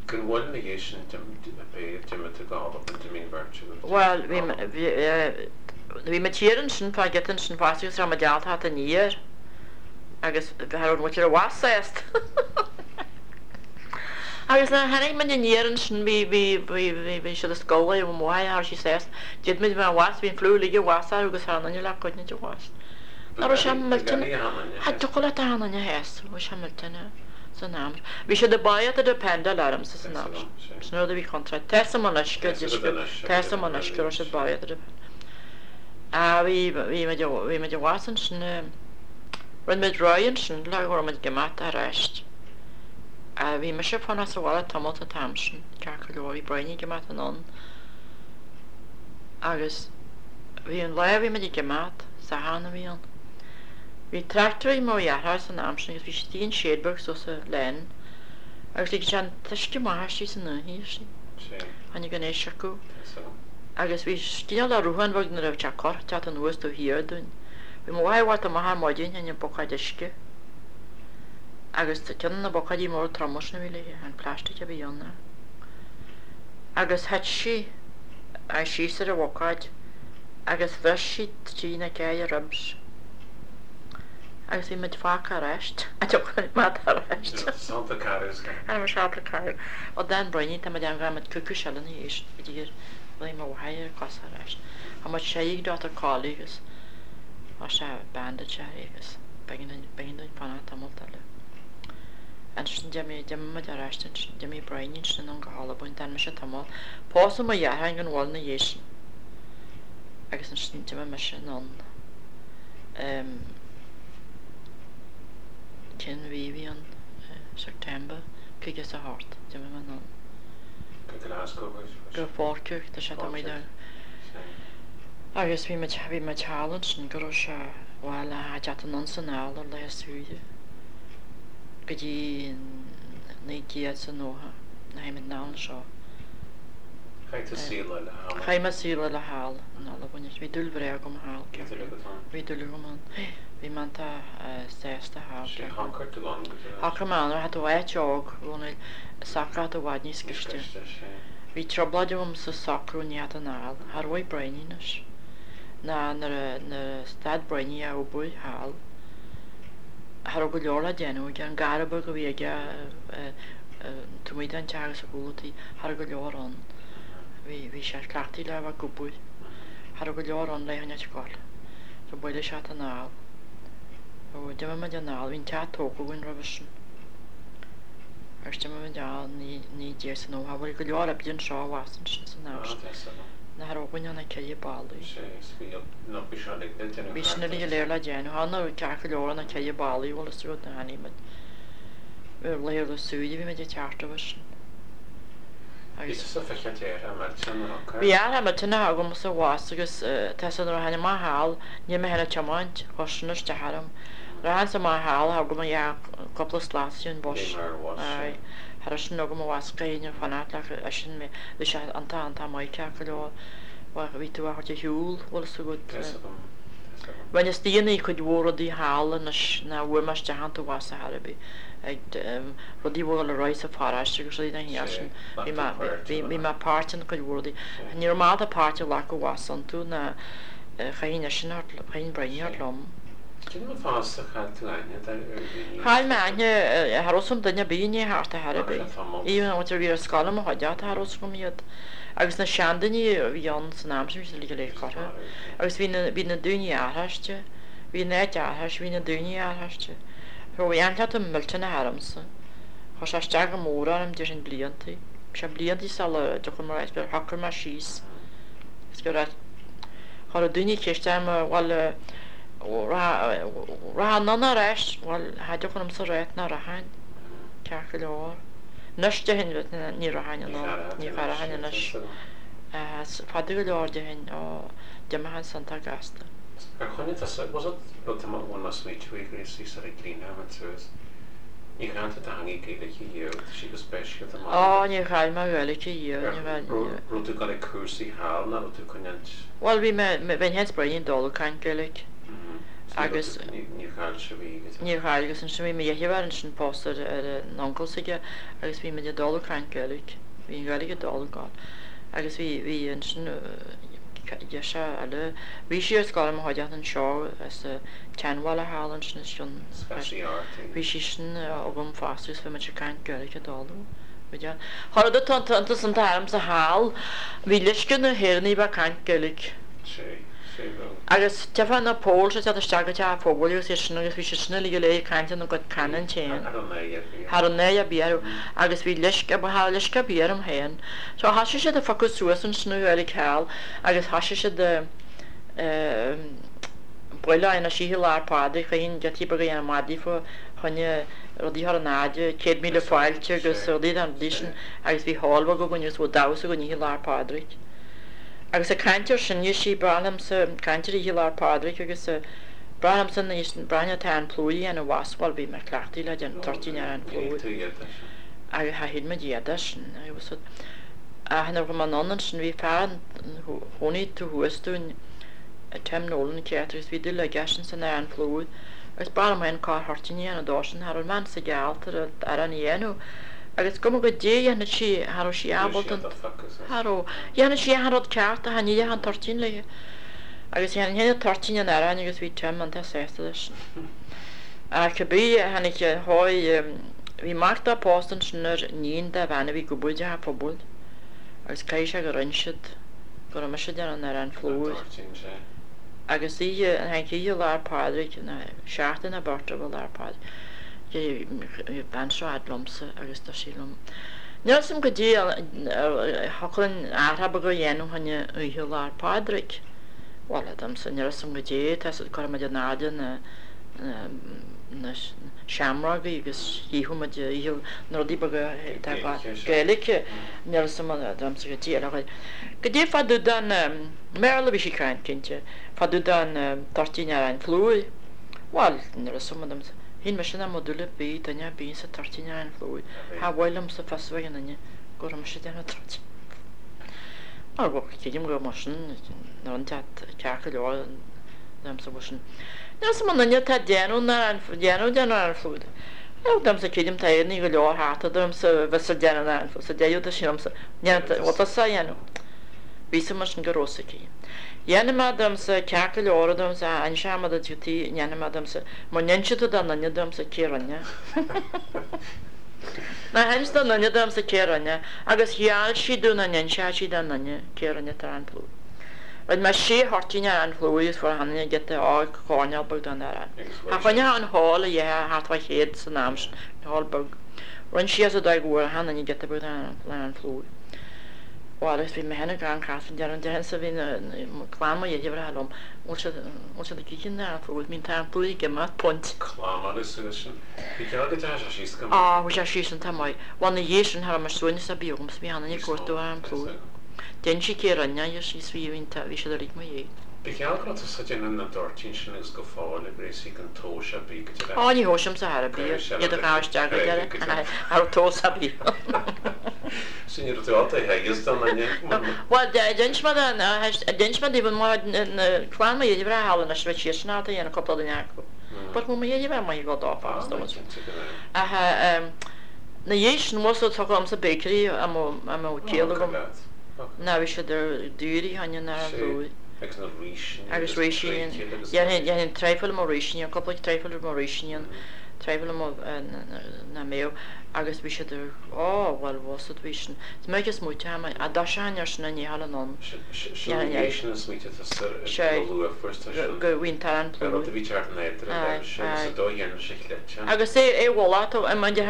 Go bhfuil na dhiaidh sin d'imigh tú go hAlbain, d'imigh an bheirt agaibh go Bhuel, bhí, hAlbain. bhí, bhí muid thiar ansin fá giota ansin fosta agus raibh muid ábalta theacht aniar agus cha raibh an mhuintir i bhfad sásta. Agus nuair a tháinig muid aniar ansin bhí, bhí, bhí, bhí, bhí siad ag scoil i mo mháthair, cha raibh sí sásta. D'fhéad muid bheith i bhfad, bhí an fliú uilig i bhfad orthu agus cha raibh aon duine le coinne de bhás. Ná raibh sé millteanach, cha dtiocfadh leat aon duine a shásamh, bhí sé millteanach san am. Bhí siad ag báidheadh a dependáil ormsa san am sin. Sin rud a bhí contráilte. Tá 'fhios a'm anois go tá 'fhios a'm anois go raibh siad báidheadh a dependáil. Ah bhí, bhí muid, bhí muid i bhfad ansin, rinne muid rogha ansin le go raibh muid ag imeacht aráist. Ah bhí mise ag fanacht sa bhaile tamall an t-am sin, ceart go leor, bhí Brian ag imeacht anonn agus bhí an lá a bhí muid ag imeacht, Satharn a bhí ann. Bhí tractor ag mo dheartháir san am sin agus bhí sé istigh in shed beag suas sa lane agus lig sé an t-uisce amach aisti san oíche sin. Tháinig an éisc acu agus bhí cineál de shruthán bheag nuair a bhí sé corr teacht anuas taobh thiar dúinn. Bhí mo mháthair ag teacht amach ar maidin fá choinne bucáid uisce agus ceann de na bucáidí móra troma sin a bhí léi, an plastic a bhí ann. Agus thit sí síos ar an bhucáid agus bhris sí trína ceithre ribs. Agus bhí muid fágtha ar ais. Tiocfaidh muid ar ais. Santa Carys. Ar Santa Carys. Ó Dan Breen, tá muid ann go muid cúpla seile ina dhiaidh sin go dtí gur bhí mo mháthair ar cos ar ais. Tá muid seigh ag Dr. Colley agus tá sé bandage air agus b'éigean dúinn b'éigean dúinn fanacht tamall eile. Ansin d'imigh d'imigh muid ar ais ansin d'imigh Brian ansin anonn go hAlbain d'fhan mise tamall. Pósadh mo dheartháir gan mhoill ina dhiaidh sin agus ansin d'imigh mise anonn. Cén mhí a bhí ann? September, 58, d'imigh mé anonn. Go Glasgow, was it? Go Falkirk, tá sé tá muid ann. Agus bhí muid, bhí muid thall ansin go raibh sé, bhuel, a theacht anonn 's anall ar laetha saoire go dtí 1990, nuair a tháinig muid anall anseo. Chaith tú saol eile thall. Chaith mé saol eile thall in Albain. Bhí dúil bhreá agam thall. Bhí dúil agat ann? Bhí dúil agam ann. Bhí mé iontach sásta thall. Sea, shocraigh tú ann go dtí. Shocraigh mé ann, cha tú áit óg, Dhónaill, socraithe i bhfad níos gaiste. Níos gaiste, sea. Bhí trioblóid agam sa socrú ní fhada anall. Cha raibh ag Brian anois. Ná nuair a, nuair a stad Brian a obair thall, cha raibh go leor le déanamh aige. An garradh beag a bhí aige, taobh amuigh den teach agus a chúl an tí, cha raibh go leor ann. Bhí, bhí sé cleachtaithe le bheith ag obair. Cha raibh go leor ann le choinneáil ag goil. So bhailigh sé anall. So d'imigh muid anall, bhí an teach tógtha againn roimhe sin. Agus d'imigh muid anall 1990, bhuel go leor oibre anseo abhus ansin san am sin. Nach raibh againn ach na ceithre ballaí. Sea, is bhí, nó bhí sé uilig le déanamh Bhí sin uilig go léir le déanamh. Tha na ceart go leor na ceithre ballaí, bhfuil fhios agat, nuair a tháinig muid. Laethanta saoire bhí muid ag teacht roimhe sin. Bhí tusa fiche deartháir millteanach acu. Bhí deartháir millteanach agamsa abhus agus tá 'fhios a'd nuair a tháinig mé thall ní raibh mé féin ag tiomáint, chuir sin isteach orm. Rachainnse amach thall thógadh mo dheartháir cúpla slat ar an bhus. Bhí mar bhus, Aye. Cha raibh sin agam abhus go haon fanacht le sin mé. Bhí sé iontach iontach maith ceart go leor. Bhí tú á thabhairt ar shiúl, bhfuil fhios agat. Tá 'fhios agam, tá 'fhios agam. Rinneas daoine cuid mhór rudaí thall anois ná bhfuair mé isteach iontu abhus ar chor ar bith. Ag rudaí a bhfuil le rá sa pharóiste agus rudaí den chineál sin. Bhí mé, bhí, bhí mé páirteach in cuid mhór rudaí. Ní raibh mé ábalta páirt a ghlacadh abhus iontu ná chaithfinn eisean a thabhairt, chaithfinn Brian a thabhairt liom. Cén fáth ar chaill tú aithne ar dhaoine? Chaill mé aithne, cha raibh 'fhios a'm duine ar bith i ndiaidh theacht ar chor ar bith. Even an bhfuil ar scoil i mo chuideachta, cha raibh 'fhios agam iad. Agus na seandaoine a bhí ann san am sin, bhí siad uilig go léir curtha. Agus bhí na, bhí na daoine athraiste, bhí an áit athraiste, bhí na daoine athraiste. So bhí ainteacht millteanach ormsa. Chuir sé isteach go mór orm, déarfainn bliantaí. Bhí sé bliantaí sula dtiocfainn mar áit gur shocraigh mé síos agus go raibh, chuir daoine ceist orm, bhuel, rachfá anonn ar ais, bhuel, cha dtiocfadh liomsa a rá nach rachainn, ceart go leor. Anois déarfainn ní rachainn anonn, ní rachainn anois. Fada go leor déarfainn, ó, d'imigh an san tá gasta. Ar choinnigh tusa, was it, rud tá bhfuil mé smaoitiú faoi Gracie sar ag líne an suas. Ní chaill tú do theangaidh Gaeilge riamh, tá sí go speisialta maith Á, níor chaill mé Gaeilge riamh, ní raibh, ní. Raibh tú ag dul ag cúrsaí thall nó raibh tú ag coinneáilt? Bhuel, bhí mé, bheinn féin 's Brian ag dul ag caint Gaeilge. Agus. Níor chaill sibh í go Níor chaill agus ansin bhí mo dheirfiúr ansin pósta ar ar an uncail s'aige agus bhí muid ag dul ag caint Gaeilge. Bhí an Ghaeilge ag dul ag gabháil. Agus bhí bhí ansin deirfiúr eile, bhí sí ar scoil i mo chuideachta anseo as an tSeanbhaile thall ansin is cionn Scaití ort í. Bhí sí sin agam fosta agus bhí muid ag caint Gaeilge ag dul. Bhí dear. Cha rud atá iontas an t-arm sa hall, bhí leisce ar na hÉireannaigh bheith ag caint Gaeilge. Sé, sé bheo. Agus tchífeá na Poles ag teacht isteach go teach an phobail agus iad sin agus bhí siad sin uilig go léir ag caint ina gcuid canúint féin. Cha raibh náire ar bith Cha raibh náire ar bith orthu agus bhí leisce, cha raibh leisce ar bith orm féin. So thoisigh siad ag phiocadh suas ansin an Ghaeilge thall agus thoisigh siad ag bualadh anois oíche Lá 'le Pádraig, chaithfinn giotaí beaga a dhéanamh maidí fá choinne rudaí a chur in airde, 100,000 fáilte agus rudaí den rudaí sin agus bhí hall bheag againn agus bhí damhsa againn oíche Lá 'le Pádraig. Agus ag caint air sin, you see, b'fhearr liomsa caint ar Oíche Lá 'le Pádraig agus b'fhearr liomsa an b'fhearr liom arán plúir a dhéanamh as, bhuel, bhí mé cleachtaithe le déanamh toirtín arán plúir. Agus tha shíl muid iad as sin, agus ach nuair a chuaigh mé anonn ansin bhí fear ina chónaí taobh thuas dúinn, Tim Nolan, ceart, agus bhí dúil aige eisean san arán plúir agus b'fhearr liom féin corr-thoirtín a dhéanamh dósan, cha raibh an bhean sa ghealt ar an arán a dhéanamh. Agus cuma goidé a dhéanfadh sí, cha raibh sí ábalta an, cha raibh, dhéanfadh sí achan rud ceart ach ní rithfeadh an toirtín léi. Agus dhéanfainn féin an toirtín an aráin agus bhí Tim iontach sásta leis sin. Ach cibé, tháinig, chuaigh, bhí mac dó pósta ansin ar iníon de bhean a bhí ag obair i dteach an phobail agus caithfidh sé gur inis siad go raibh mise ag déanamh an aráin phlúir. Agus oíche, tháinig oíche Lá 'le Pádraig, nó seachtain nó beirt roimh Lá 'le Pádraig, Bhí bean seo fhad liomsa agus dúirt sí liom, Níl 'fhios a'm goidé a thiocfadh linn athrá beag a dhéanamh fá choinne oíche Lá 'le Pádraig. Bhuel, a domsa, níl 'fhios a'm goidé, tá 'fhios a'd, cuirfidh muid in airde na na seamrógaí agus chífidh muid oíche na rudaí beaga atá Gaeilge, níl 'fhios a'm a domsa goidé eile a Goidé fá dtaobh den mBéarla a bhí sí ag caint, cinnte, fá dtaobh den toirtín aráin phlúir. Bhuel, níl 'fhios a'm, a domsa. Shíl mise nach mbeadh dúil ar bith ag duine ar bith sa toirtín arán phlúir. Cha mhaith liomsa fios a bheith ag aon duine go raibh mise ag déanamh toirtín. Mar bhuel, creidim go raibh mar sin, nuair an teacht ceart go leor domsa bhuel sin. Níl 'fhios a'm an duine atá ag déanamh an aráin, déanamh den arán phlúir. Bhuel, domsa creidim tá Éireannaigh go leor thart domsa a bheas ag déanamh an aráin phlúir. Sa deireadh tá sé liomsa, déanta, bhuel tusa a dhéanamh. Bhí 'fhios a'm mar sin go raibh 'fhios aici. Dhéanfaidh mé domsa ceart go leor domsa inseoidh mé duit cad é dhéanfaidh mé domsa mura n-inse tú d'aon duine domsa cé rinne. Ná hins d'aon duine domsa cé rinne agus gheall sí domh nach n-inseodh sí d'aon duine cé rinne an t-arán plúir. Rinne mé sé thoirtín arán phlúir agus fuair achan duine giota óg coirnéal beag den arán. Cha choinneodh an hall a dhéarfá thart fá chéad san am sin, an hall beag. Rinne sí as a dóigh go bhfuair achan duine giota beag den arán phlúir. Bhuel, agus bhí mé féin ag an chas an deireadh, an deireadh sa bhí na, clann mo dheirfiúracha liom, bhfuil siad, bhfuil siad ag ithe an arán phlúir, bhí an t-arán plúir ag imeacht, punt. Clann suas sin. Bhí ceann go dteachaigh sé síos go maith. Á, bhí sé síos iontach maith. Bhuel, ina dhiaidh sin, cha raibh mé suaimhneas ar bith agam, 's bhí achan duine ag cuartú arán plúir. D'inis sí cé a rinne é, is bhí, bhí an t-, bhí siad uilig mo dhiaidh. Ba gheall go raibh tusa ag déanamh na dtoirtín sin agus go fóill ag réasí gan tomhas ar bith go deireadh. Á, ní thomhaisimse ar bith, iad a ghabh isteach go deireadh, cha raibh tomhas ar bith. Sin ní raibh tú ábalta a theagasc don duine. Bhuel, d'inis mé don, d'inis mé daoibh an clann mo dheirfiúracha thall anois, bheadh siadsan ábalta a dhéanamh cúpla duine acu. But bhí mo dheirfiúr maith ag dul dó fosta, Cinnte go raibh. Ach na dhiaidh sin, bhuel, so tugadh ormsa bakery a mbeadh ciall agam. Ná bhí siad ar daoirí cheana ná ar bhuaidh. Agus na ríseanna agus ríseanna. Dhéanfainn traidhfil mo ríseanna, cúpla traidhfil mo ríseanna, traidhfil mo na mbeadh agus bhí siad ar, á bhuel bhus bhí sin. Is minic is smaoiteoidh mé, a d'fhoilseoinn ar sin a ndícheall anonn. Sin na ríseanna smaointe tusa ar go luath fuair tú sin. Go bhí an t-arán plúr. Ar rud a bhí teacht in éadan a raibh sé agus a dóigh dhéanamh sé chleite. Agus é é mholadh tú i mbun de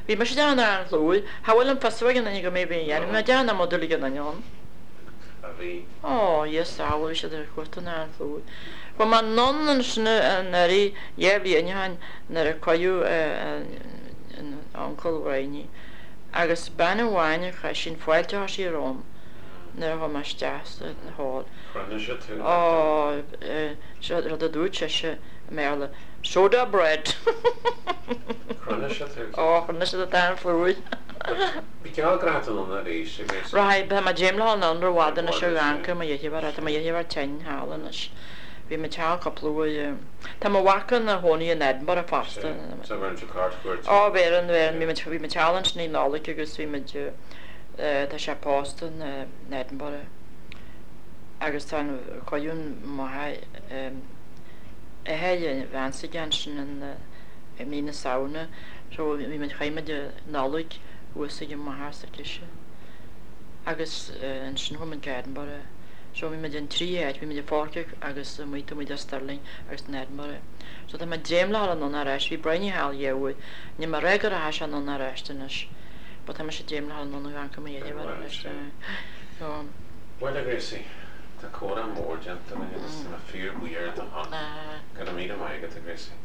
bhí mise ag déanamh an aráin phlúir. Cha bhfuil an fios ag aon duine go mbeidh bhí a dhéanamh mé déanamh mo dúil ag aon duine ann. A bhí. Ó, yes, á, bhuel bhí siad ar chuairt an aráin phlúir. Chuaigh mé anonn ansin anuraidh, dhá bhliain ó shin, nuair a cailleadh an uncail Bhrianaí agus bean amháin a chaith sin fáilte a chuir sí romham nuair a chuaigh mé isteach sa hall. Chronaigh sé tú. Ó, seo rud a dúirt sise i mBéarla, soda bread! Chronaigh sé tú. Ó, chronaigh sé an t-arán plúir. Bhí geall go raibh tú anonn arís agus. Rachaidh, tá mé ag dréim le dhul anonn ró-fhada anois ar ghancar mo dheirfiúr, tá mo dheirfiúr tinn thall anois. Bhí muid thall cúpla uair. Tá mo mhac ina chónaí in Edinburgh fosta. Sea. So bheireann tú cairtchuairt. Ó bheireann, bheireann. Bhí muid, bhí muid thall ansin i Nollaig agus bhí muid, tá sé pósta in Edinburgh agus tá an colún maith athair a bhean s'aige ansin in i mí na Samhna so bhí muid, chaith muid an Nollaig thuas ag an máthair s'aicise agus ansin chuaigh muid go Edinburgh. So bhí muid in trí áit, bhí muid i Falkirk agus amuigh taobh amuigh de Stirling agus in Edinburgh. So tá mé ag dréim le dhul anonn ar ais, bhí Bryony thall dhá uair, níl mé ag rá go rachaidh sé anonn ar ais anois but tá mise ag dréim le dhul anonn amharc amuigh air ar ais. So. Bhuel a Gracie, tá comhrá mór déanta againn agus tá mé fíor buíoch ar do shon. Go raibh míle maith agat a Gracie.